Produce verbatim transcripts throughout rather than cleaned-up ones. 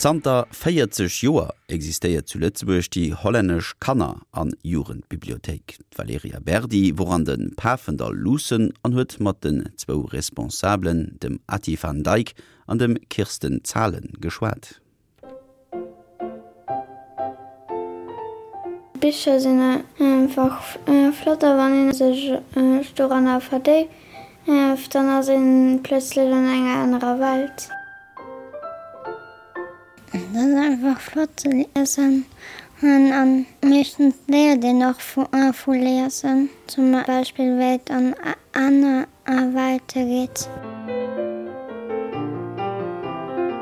Zanter véierzeg Joer existéiert zu Lëtzebuerg déi hollännesch Kanner an Jugendbibliothéik. D'Valerija Berdi wor an de Pafendall luussen an huet mat den zwou Responsabelen, dem Ati van Dijk an dem Kirsten Zahlen, geschwat. Bicher sinn einfach flott a wann een sech doranner verdéift, dann ass een plötzlech an enger anerer Welt. Et ass einfach flott ze liesen an meeschtens léiert een och vu liesen, zum Beispill wéi et an aner Welte geet.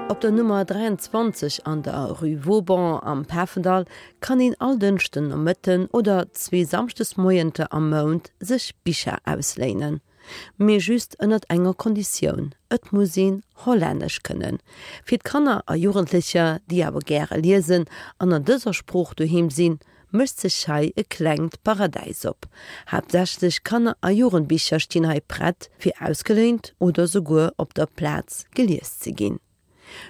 Op der Nummer dräianzwanzeg an der Rue Vauban am Pafendall kann een all Dënschden Nomëtten oder zwee Samschdesmoienter am Mount sech Bicher ausléinen. Mee just ënnert enger Konditioun, Et muss een Hollännesch kënnen. Fir d'Kanner a Jugendlecher, déi awer gäre liesen an an dëser Sprooch doheem sinn, mécht sech hei e klengt Paradäis op. Haaptsächlech Kanner a Jugendbicher stinn hei prett, fir ausgeléint oder souguer op der Plaz gelies ze ginn.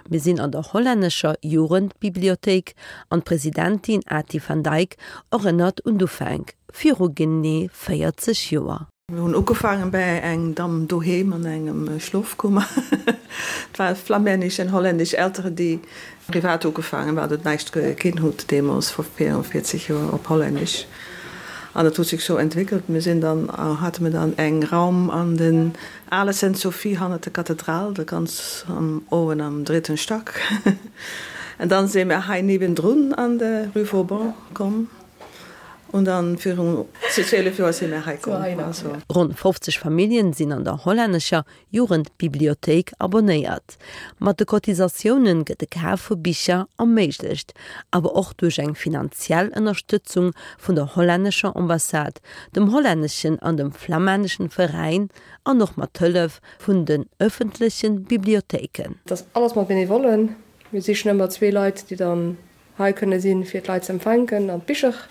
Mir sinn an der hollännescher Jugendbibliothéik an d'Presidentin Ati van Dijk erënnert un d'Ufänk viru genee véierzeg Joer. Mir hunn ugefaangen bäi eng Damm doheem an engem Schlofkummer. Et war flamännesch an hollännesch Elteren, déi privat ugefaangen, well et näischt ginn huet deemools vor véierundvierzeg Joer op Hollännesch. An dat huet sech sou entwéckelt. Mir sinn dann, hate mir dann eng Raum an den ale Sainte-Sophie hannert der Kathedral, da ganz am owen am dritten Stack. An dann si mir hei niewendrun an de Rue Vauban komm. Und dann virun zwielef Joer si mir hei komm. Also. Ronn fofzeg Familljen sinn an der hollännescher Jugendbibliothéik abonnéiert. Mat de Cotisatiounen gëtt de Kaf vu Bicher erméiglecht, awer och duerch eng finanziell Ënnerstëtzung vun der hollännescher Ambassade, dem hollänneschen an dem flamänneschen Veräin an och mat Hëllef vun den ëffentlechen Bibliothéiken. Et ass alles mat Benevollen. Mir sichen ëmmer zwee Leit, déi dann hei kënne sinn, fir d'Leit ze empfänken an d'Bicher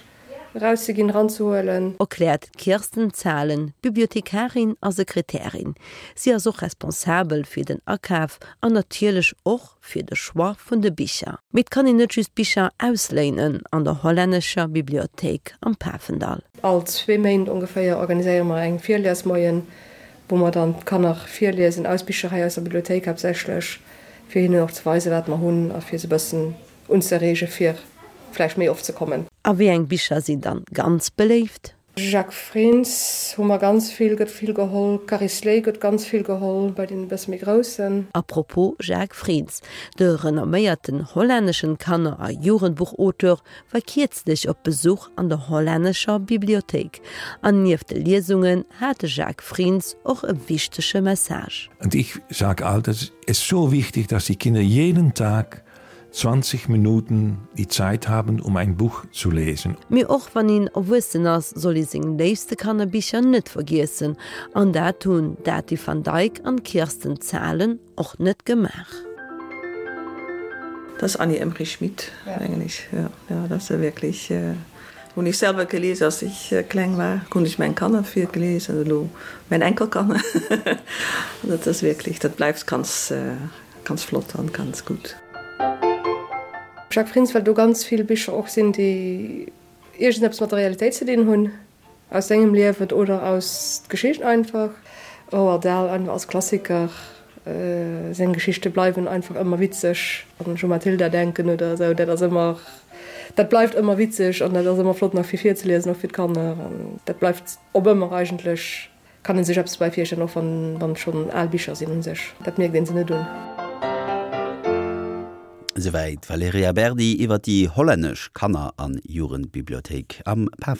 erauszeginn, eranzehuelen. Erkläert d'Kirsten Zahlen, Bibliothekarin a Sekretärin. Si ass och responsabel fir den Akaf an natierlech och fir de Choix vun de Bicher. Mee et kann een net just Bicher ausléinen an der hollännescher Bibliothéik am Pafendall. All zwee Méint ongeféier organiséiere mer eng Virliesmoien, wou mer dann d'Kanner virliesen aus Bicher hei aus der Bibliothéik haaptsächlech, fir hinnen och ze weisen, wat mer hunn a fir se e bëssen unzereege fir vläicht méi oft ze kommen. A wéi eng Bicher sinn dann ganz beléift? Jacques Frijns hu mer ganz vill, gëtt vill geholl. Caris Lay gëtt ganz vill geholl bei deene bësse méi Groussen. A propos Jacques Frijns, de renomméierten hollänneschen Kanner a Jugendbuchauteur war kierzlech op Besuch an der hollännescher Bibliothéik. An nieft de Liesungen hat de Jacques Frijns och e wichtege Message. Und ich sag alt, es ist so wichtig, dass die Kinder jeden Tag zwanzig Minuten die Zeit haben, um ein Buch zu lesen. Mee och wann een erwuessen ass, soll ee seng léifste Kannerbicher net vergiessen. An dat hunn d'Ati van Dijk an d'Kirsten Zahlen och net gemaach. Das ist Annie Emrich Schmidt eigentlich. Ja, ja, das ist wirklich hunn ech selwer gelies als ich kleng war, hunn ech meng Kanner virgelies an elo mäin Enkelkanner. Dat ass wierklech, dat bleift ganz, ganz flott an ganz gutt. Jacques Frijns, well do ganz vill Bicher och sinn, déi iergendeppes mat der Realitéit ze dinn hunn, aus sengem Liewen oder aus Geschicht einfach. Roald Dahl einfach als Klassiker, seng Geschichte bleiwen einfach ëmmer witzeg. Wann ech u Matilda denken oder esou, dat ass ëmmer, dat bleift ëmmer witzeg an dat ass ëmmer flott nach fir virzeliesen, och fir d'Kanner. An dat bleift op ëmmer eigentlech, kann ee sech eppes dobäi virstellen, och wann wann et schonn al Bicher sinn u sech, dat mierkt ee se net un. Esouwäit d'Valerija Berdi iwwer déi hollännesch Kanner an Jugendbibliothéik am Pafendall.